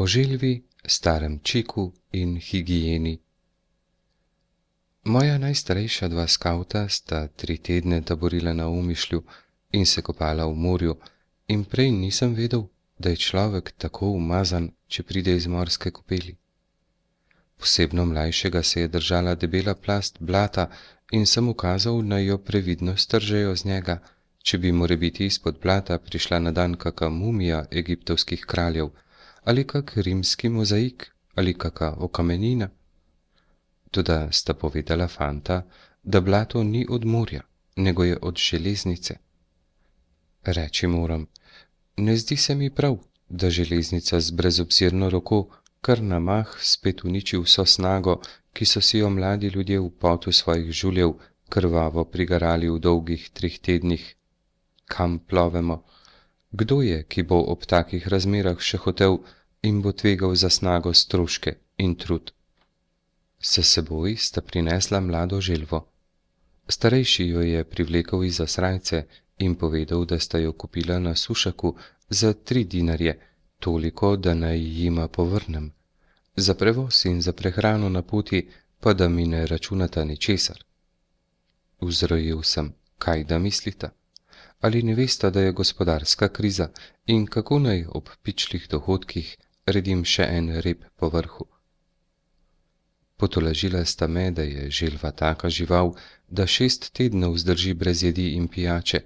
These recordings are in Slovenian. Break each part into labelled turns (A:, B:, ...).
A: O želvi, starem čiku in higieni. Moja najstarejša dva skavta sta 3 tedne taborila na Omišlju in se kopala v morju, in prej nisem vedel, da je človek tako umazan, če pride iz morske kopeli. Posebno mlajšega se je držala debela plast blata in sem ukazal, naj jo previdno stržejo z njega, če bi morebiti izpod blata prišla na dan kaka mumija egiptovskih kraljev, ali kak rimski mozaik, ali kaka okamenina. Toda sta povedala fanta, da blato ni od morja, nego je od železnice. Reči moram, ne zdi se mi prav, da železnica z brezobzirno roko kar na mah spet uniči vso snago, ki so si jo mladi ljudje v potu svojih žuljev krvavo prigarali v dolgih 3 tednih. Kam plovemo? Kdo je, ki bo ob takih razmerah še hotel in bo tvegal za snago stroške in trud? S seboj sta prinesla mlado želvo. Starejši jo je privlekel izza srajce in povedal, da sta jo kupila na sušaku za 3 dinarje, toliko, da naj jima povrnem. Za prevoz in za prehrano na poti pa da mi ne računata ničesar. Vzrojil sem, kaj da mislita? Ali ne vesta, da je gospodarska kriza in kako naj ob pičlih dohodkih redim še en rep po vrhu? Potolažila sta me, da je želva taka žival, da 6 tednov zdrži brez jedi in pijače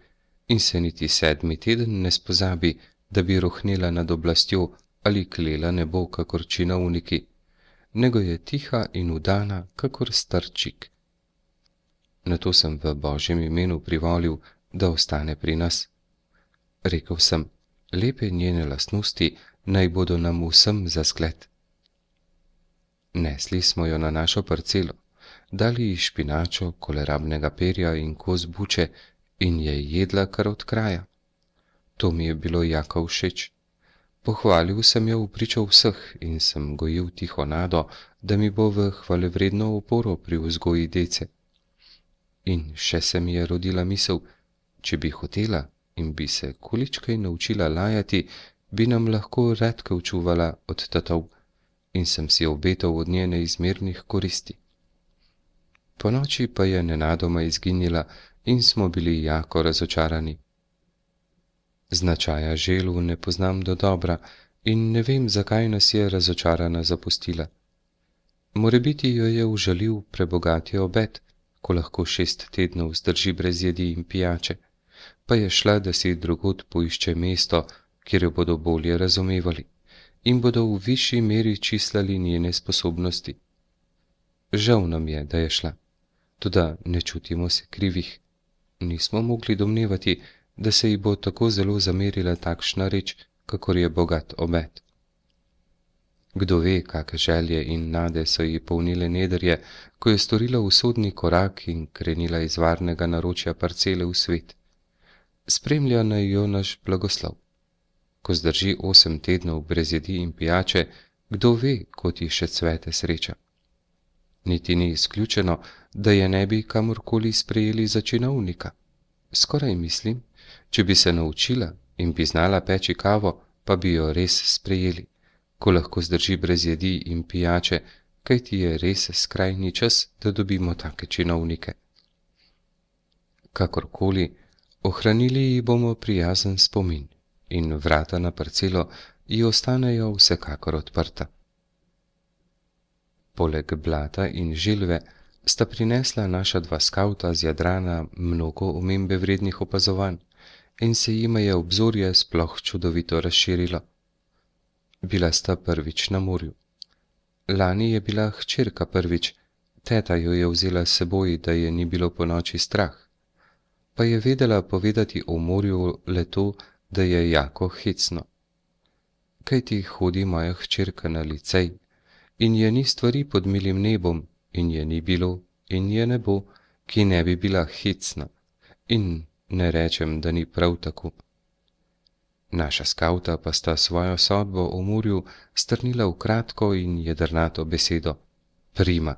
A: in se niti 7. teden ne spozabi, da bi rohnela nad oblastjo ali klela nebo kakor činovniki, nego je tiha in udana kakor starčik. Nato sem v Božjem imenu privolil, da ostane pri nas. Rekel sem, lepe njene lastnosti naj bodo nam vsem za zgled. Nesli smo jo na našo parcelo, dali ji špinačo, kolerabnega perja in kos buče in je jedla kar od kraja. To mi je bilo jako všeč. Pohvalil sem jo v pričo vseh in sem gojil tiho nado, da mi bo v hvalevredno oporo pri vzgoji dece. In še se mi je rodila misel, če bi hotela in bi se količkaj naučila lajati, bi nam lahko redkev čuvala od tatov, in sem si obetal od nje neizmernih koristi. Ponoči pa je nenadoma izginila in smo bili jako razočarani. Značaja želv ne poznam dodobra in ne vem, zakaj nas je razočarana zapustila. Morebiti jo je užalil prebogati obet, ko lahko 6 tednov zdrži brez jedi in pijače, pa je šla, da si drugod poišče mesto, kjer jo bodo bolje razumevali in bodo v višji meri čislali njene sposobnosti. Žal nam je, da je šla, toda ne čutimo se krivih. Nismo mogli domnevati, da se ji bo tako zelo zamerila takšna reč, kakor je bogat obet. Kdo ve, kake želje in nade so ji polnile nedrje, ko je storila usodni korak in krenila iz varnega naročja parcele v svet. Spremlja naj jo naš blagoslov. Ko zdrži 8 tednov brez jedi in pijače, kdo ve, kot ji še cvete sreča. Niti ni izključeno, da je ne bi kamorkoli sprejeli za činovnika. Skoraj mislim, če bi se naučila in bi znala peči kavo, pa bi jo res sprejeli, ko lahko zdrži brez jedi in pijače, kajti je res skrajni čas, da dobimo take činovnike. Kakorkoli, ohranili ji bomo prijazen spomin in vrata na parcelo ji ostanejo vsekakor odprta. Poleg blata in želve sta prinesla naša 2 skavta z Jadrana mnogo omembe vrednih opazovanj in se jima je obzorje sploh čudovito razširilo. Bila sta prvič na morju. Lani je bila hčerka prvič, teta jo je vzela s seboj, da je ni bilo ponoči strah, pa je vedela povedati o morju le to, da je jako hecno. Kajti hodi moja hčerka na licej in je ni stvari pod milim nebom in je ni bilo in je ne bo, ki ne bi bila hecna, in ne rečem, da ni prav tako. Naša skavta pa sta svojo sodbo o morju strnila v kratko in jedrnato besedo: prima.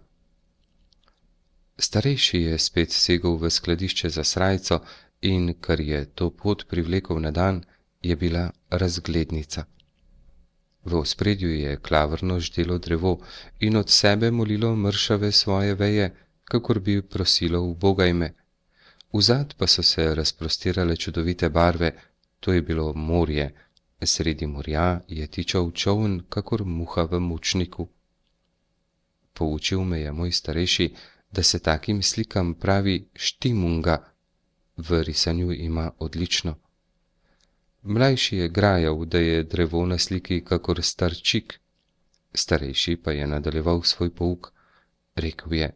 A: Starejši je spet segel v skladišče za srajco in, kar je to pot privlekel na dan, je bila razglednica. V ospredju je klavrno ždelo drevo in od sebe molilo mršave svoje veje, kakor bi prosilo ubogaj me. Vzad pa so se razprostirale čudovite barve, to je bilo morje, sredi morja je tičal čoln, kakor muha v mučniku. Poučil me je moj starejši, da se takim slikam pravi štimunga, v risanju ima odlično. Mlajši je grajal, da je drevo na sliki kakor star čik, starejši pa je nadaljeval svoj pouk. Rekel je: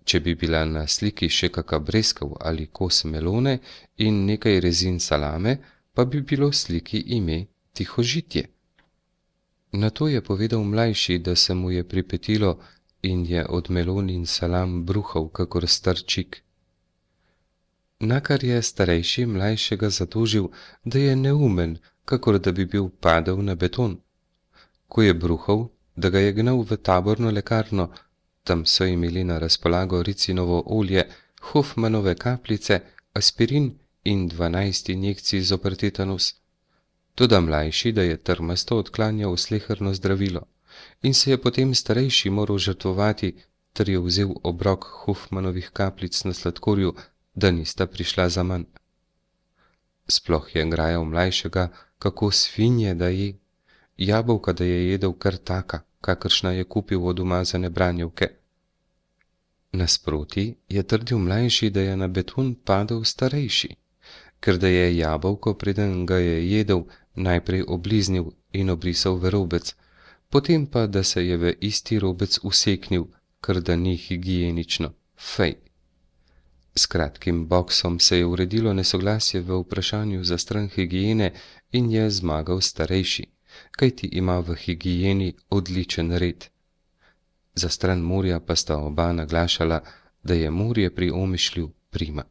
A: če bi bila na sliki še kaka breskev ali kos melone in nekaj rezin salame, pa bi bilo sliki ime Tihožitje. Nato je povedal mlajši, da se mu je pripetilo in je od melon in salam bruhal kakor star čik. Nakar je starejši mlajšega zatožil, da je neumen, kakor da bi bil padel na beton. Ko je bruhal, da ga je gnal v taborno lekarno, tam so imeli na razpolago ricinovo olje, Hofmanove kapljice, aspirin in 12 injekcij zoper tetanus. Toda mlajši, da je trmasto odklanjal sleherno zdravilo in se je potem starejši moral žrtvovati, ter je vzel obrok Hofmanovih kapljic na sladkorju, da nista prišla zaman. Sploh je grajal mlajšega, kako svinje da je, jabolka da je jedel kar taka, kakršna je kupil od umazane branjevke. Nasproti je trdil mlajši, da je na beton padel starejši, ker da je jabolko, preden ga je jedel, najprej obliznil in obrisal v robec, potem pa, da se je v isti robec useknil, ker da ni higienično. Fej! S kratkim boksom se je uredilo nesoglasje v vprašanju za stran higiene in je zmagal starejši, kajti ima v higieni odličen red. Za stran morja pa sta oba naglašala, da je morje pri Omišlju prima.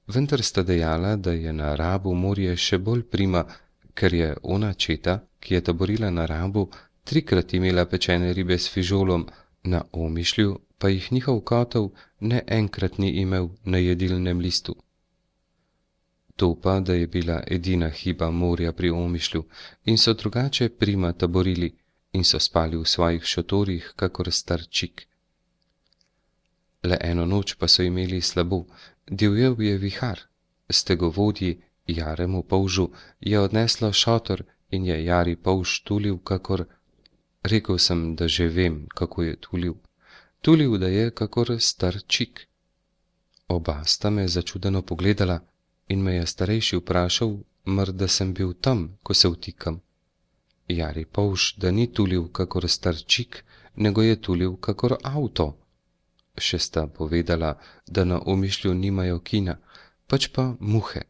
A: Vendar sta dejala, da je na Rabu morje še bolj prima, ker je ona četa, ki je taborila na Rabu, 3krat imela pečene ribe s fižolom, na Omišlju pa jih njihov kotov ne enkrat ni imel na jedilnem listu. To pa, da je bila edina hiba morja pri Omišlju in so drugače prima taborili in so spali v svojih šotorih, kakor star čik. Le eno noč pa so imeli slabo, divjel je vihar, stegovodji Jaremu polžu je odneslo šotor in je Jari polž tulil, kakor... Rekel sem, da že vem, kako je tulil. Tulil, da je kakor star čik. Oba sta me začudeno pogledala in me je starejši vprašal, da sem bil tam, ko se vtikam. Jari polž, da ni tulil kakor star čik, nego je tulil kakor avto. Še sta povedala, da na Omišlju nimajo kina, pač pa muhe.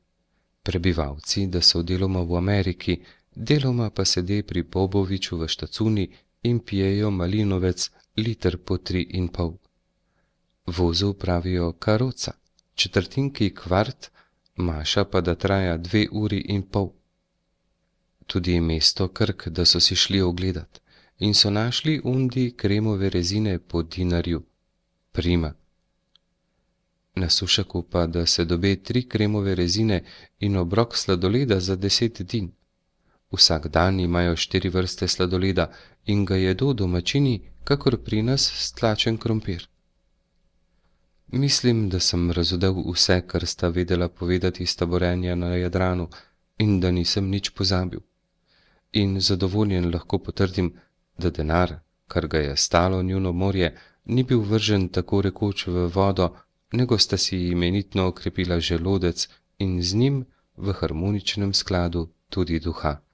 A: Prebivalci, da so deloma v Ameriki, deloma pa sede pri Boboviču v štacuni in pijejo malinovec liter po 3,5. Vozu pravijo karoca, četrtinki kvart, maša pa da traja 2,5 ure. Tudi mesto Krk, da so si šli ogledat in so našli undi kremove rezine po dinarju. Prima. Na Sušaku pa, da se dobe 3 kremove rezine in obrok sladoleda za 10 din. Vsak dan imajo 4 vrste sladoleda in ga jedo domačini, kakor pri nas stlačen krompir. Mislim, da sem razodel vse, kar sta vedela povedati s taborenja na Jadranu in da nisem nič pozabil. In zadovoljen lahko potrdim, da denar, kar ga je stalo njuno morje, ni bil vržen tako rekoč v vodo, nego sta si imenitno okrepila želodec in z njim v harmoničnem skladu tudi duha.